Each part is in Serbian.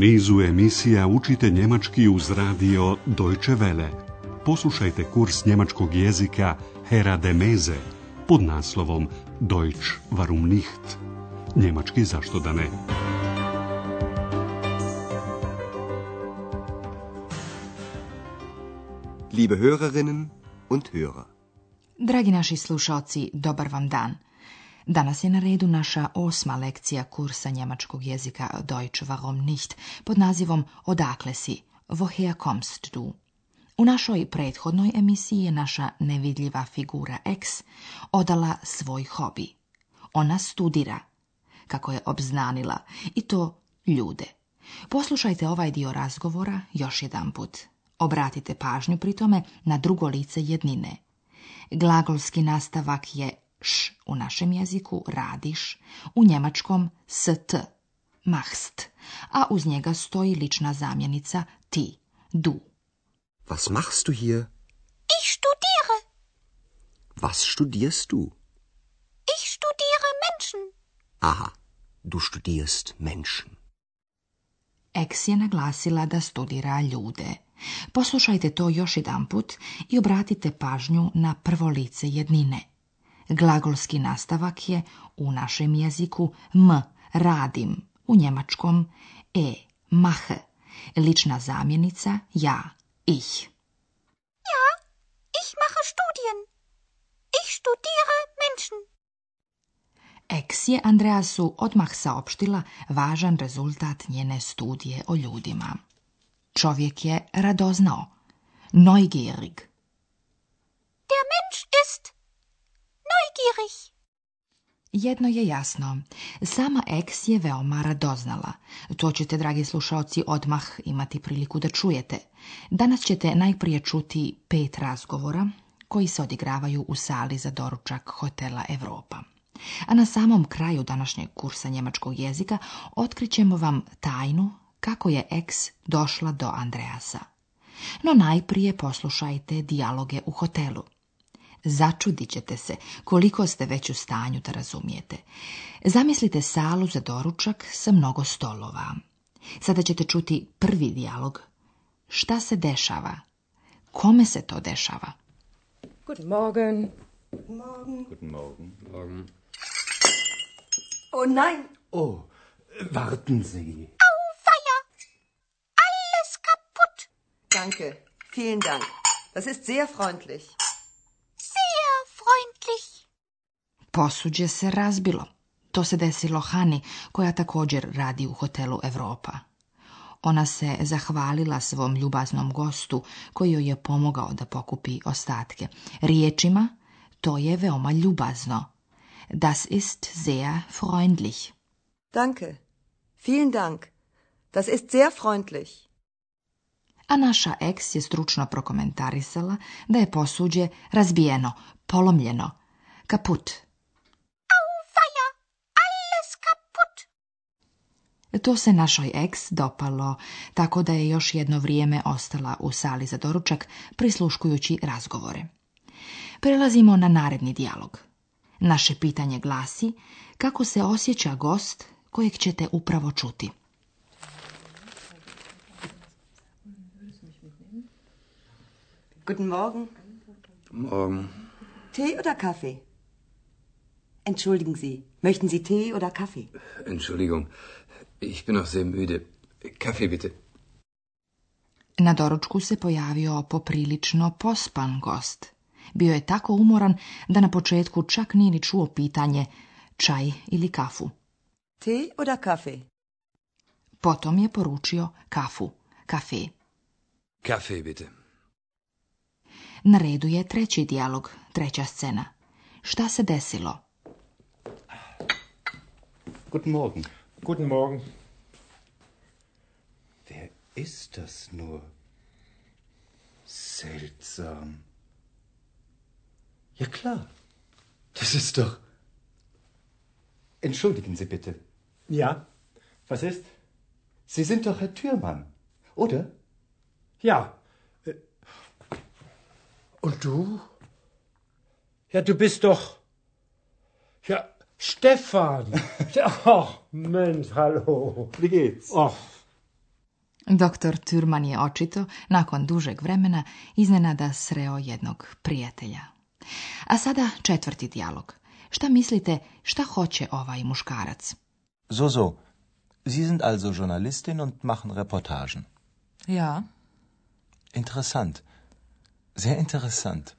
nizu emisija učite njemački uz radio Deutsche Welle. Poslušajte kurs njemačkog jezika Hera de Meze pod naslovom Deutsch warum nicht? Njemački zašto da ne? Liebe Hörerinnen und Hörer. Dragi naši slušalci, dobar vam dan. Danas je na redu naša 8. lekcija kursa njemačkog jezika Deutsch warum nicht pod nazivom Odakle si? Woher kommst du? U našoj prethodnoj emisiji je naša nevidljiva figura X odala svoj hobi. Ona studira, kako je obznanila, i to ljude. Poslušajte ovaj dio razgovora još jedan put. Obratite pažnju pri tome na drugo lice jednine. Glagolski nastavak je š u našem jeziku, radiš, u njemačkom st, machst, a uz njega stoji lična zamjenica ti, du. Was machst du hier? Ich studiere. Was studierst du? Ich studiere Menschen. Aha, du studierst Menschen. X je naglasila da studira ljude. Poslušajte to još jedan put i obratite pažnju na prvo lice jednine. Glagolski nastavak je u našem jeziku m, radim, u njemačkom mache, lična zamjenica ja, ich. Ja, ich mache Studien. Ich studiere Menschen. X je Andreasu odmah saopštila važan rezultat njene studije o ljudima. Čovjek je radoznao, neugierig. Der Mensch ist neugierig. Jedno je jasno, sama X je veoma radoznala. To ćete, dragi slušalci, odmah imati priliku da čujete. Danas ćete najprije čuti 5 razgovora koji se odigravaju u sali za doručak hotela Europa. A na samom kraju današnjeg kursa njemačkog jezika otkrićemo vam tajnu kako je X došla do Andreasa. No najprije poslušajte dijaloge u hotelu. Začudit ćete se koliko ste već u stanju da razumijete. Zamislite salu za doručak sa mnogo stolova. Sada ćete čuti prvi dijalog. Šta se dešava? Kome se to dešava? Guten Morgen. Guten Morgen. Guten Morgen. Morgen. Oh nein. Oh, warten Sie. Auweia. Alles kaputt. Danke. Vielen Dank. Das ist sehr freundlich. Sehr freundlich. Posuđe se razbilo. To se desilo Hani, koja također radi u hotelu Europa. Ona se zahvalila svom ljubaznom gostu koji joj je pomogao da pokupi ostatke. Riječima, to je veoma ljubazno. Das ist sehr freundlich. Danke. Vielen Dank. Das ist sehr freundlich. A naša X je stručno prokomentarisala da je posuđe razbijeno, polomljeno, kaput. Auweia. Alles kaputt. To se našoj X dopalo, tako da je još jedno vrijeme ostala u sali za doručak, prisluškujući razgovore. Prelazimo na naredni dijalog. Naše pitanje glasi kako se osjeća gost kojeg ćete upravo čuti. Guten Morgen. Morgen. Tee oder Kaffee? Entschuldigen Sie, möchten Sie Tee oder Kaffee? Entschuldigung, ich bin noch sehr müde. Kaffee bitte. Na doručku se pojavio poprilično pospan gost. Bio je tako umoran da na početku čak nije ni čuo pitanje čaj ili kafu. Tee oder Kaffee? Potom je poručio kafu, kafe. Kaffee bitte. Na redu je treći dijalog, treća scena. Šta se desilo? Guten Morgen. Guten Morgen. Wer ist das nur? Seltsam. Ja klar. Das ist doch... Entschuldigen Sie bitte. Ja, was ist? Sie sind doch Herr Thürmann, oder? Ja. Und du? Ja, du bist doch... Ja, Stefan. Ach, Mensch, hallo. Wie geht's? Ach, Doktor Thürmann je očito, nakon dužeg vremena, iznenada sreo jednog prijatelja. A sada 4. dijalog. Šta mislite, šta hoće ovaj muškarac? So. Sie sind also Journalistin und machen Reportagen. Ja. Interessant. Sehr interessant.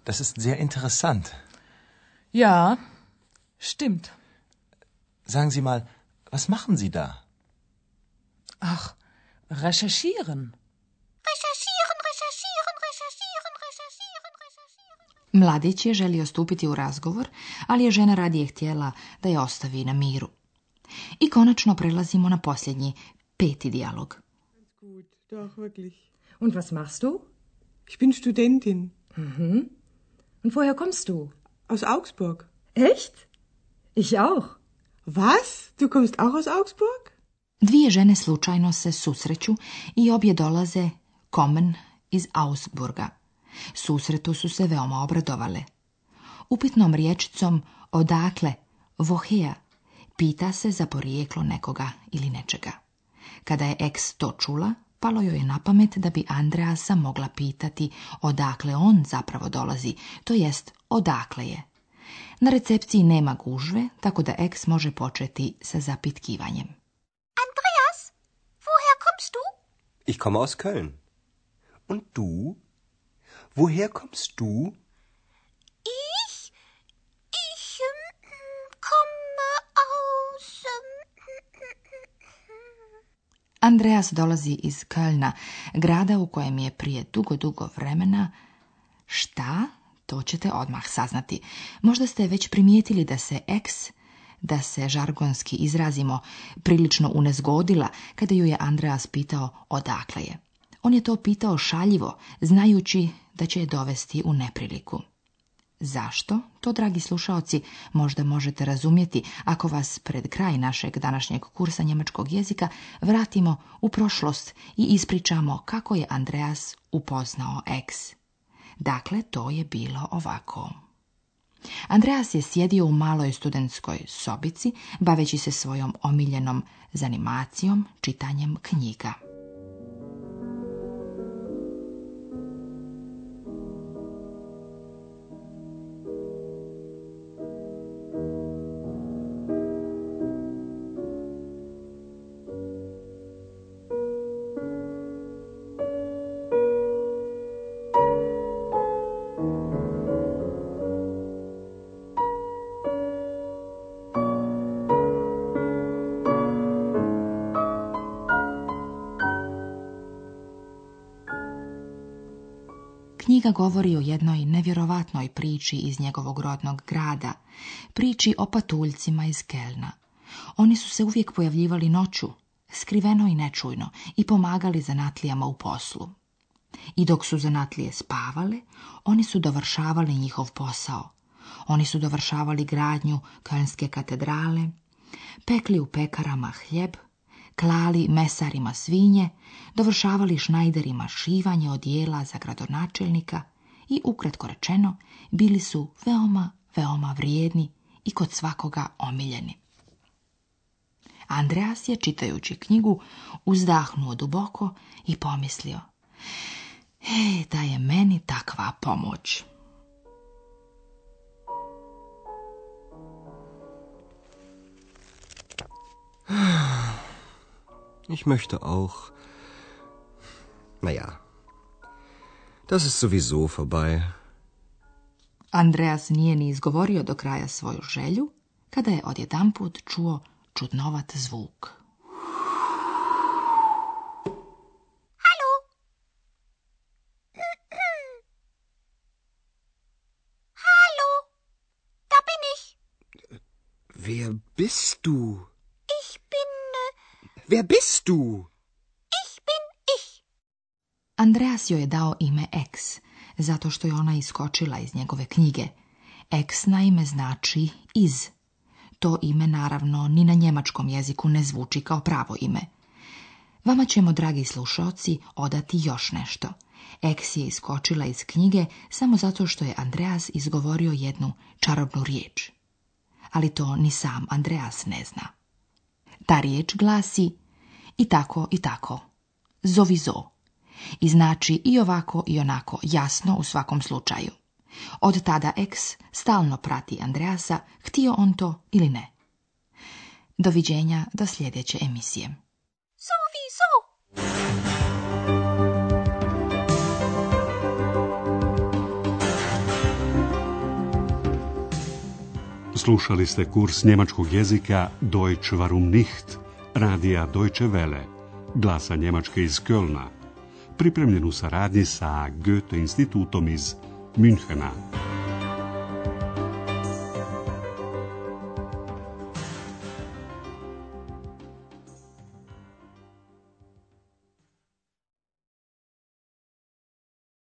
Das ist sehr interessant. Ja, stimmt. Sagen Sie mal, was machen Sie da? Ach, recherchieren. Mladić je želio stupiti u razgovor, ali je žena radije htjela da je ostavi na miru. I konačno prelazimo na posljednji, 5. dijalog. Gut, doch, wirklich. Und was machst du? Ich bin Studentin. Mhm. Und woher kommst du? Aus Augsburg. Echt? Ich auch. Was? Du kommst auch aus Augsburg? Dvije žene slučajno se susreću i obje dolaze kommen iz Augsburga. Susretu su se veoma obradovale. Upitnom riječicom odakle, woher, pita se za porijeklo nekoga ili nečega. Kada je ex to čula, palo joj je na pamet da bi Andreasa mogla pitati odakle on zapravo dolazi, to jest odakle je. Na recepciji nema gužve, tako da ex može početi sa zapitkivanjem. Andreas, woher kommst du? Ich komme aus Köln. Und du? Woher kommst du? Ich komme aus... Andreas dolazi iz Kölna, grada u kojem je prije dugo vremena... Šta? To ćete odmah saznati. Možda ste već primijetili da se ex, da se žargonski izrazimo, prilično unezgodila kada ju je Andreas pitao odakle je. On je to pitao šaljivo, znajući da će je dovesti u nepriliku. Zašto? To, dragi slušaoci, možda možete razumjeti ako vas pred kraj našeg današnjeg kursa njemačkog jezika vratimo u prošlost i ispričamo kako je Andreas upoznao ex. Dakle, to je bilo ovako. Andreas je sjedio u maloj studentskoj sobici, baveći se svojom omiljenom zanimacijom, čitanjem knjiga. Knjiga govori o jednoj nevjerovatnoj priči iz njegovog rodnog grada, priči o patuljcima iz Kelna. Oni su se uvijek pojavljivali noću, skriveno i nečujno, i pomagali zanatlijama u poslu. I dok su zanatlije spavale, oni su dovršavali njihov posao. Oni su dovršavali gradnju Kölnske katedrale, pekli u pekarama hljeb, klali mesarima svinje, dovršavali šnajderima šivanje odijela za gradonačelnika i, ukratko rečeno, bili su veoma vrijedni i kod svakoga omiljeni. Andreas je, čitajući knjigu, uzdahnuo duboko i pomislio: da je meni takva pomoć. Ich möchte auch. Naja, das ist sowieso vorbei. Andreas nije ni izgovorio do kraja svoju želju, kada je odjedanput čuo čudnovat zvuk. Hallo? Hallo? Da bin ich. Wer bist du? Ich bin... Wer bist du? Ich bin ich. Andreas joj je dao ime Ex, zato što je ona iskočila iz njegove knjige. Ex naime znači iz. To ime naravno ni na njemačkom jeziku ne zvuči kao pravo ime. Vama ćemo, dragi slušaoci, odati još nešto. Ex je iskočila iz knjige samo zato što je Andreas izgovorio jednu čarobnu riječ. Ali to ni sam Andreas ne zna. Ta riječ glasi: i tako i tako. Sowieso. I znači i ovako i onako, jasno u svakom slučaju. Od tada Ex stalno prati Andreasa, htio on to ili ne. Doviđenja do sljedeće emisije. Sowieso. Slušali ste kurs njemačkog jezika Deutsch warum nicht, radija Deutsche Welle, glasa Njemačke iz Kölna, pripremljen u saradnji sa Goethe institutom iz Münchena.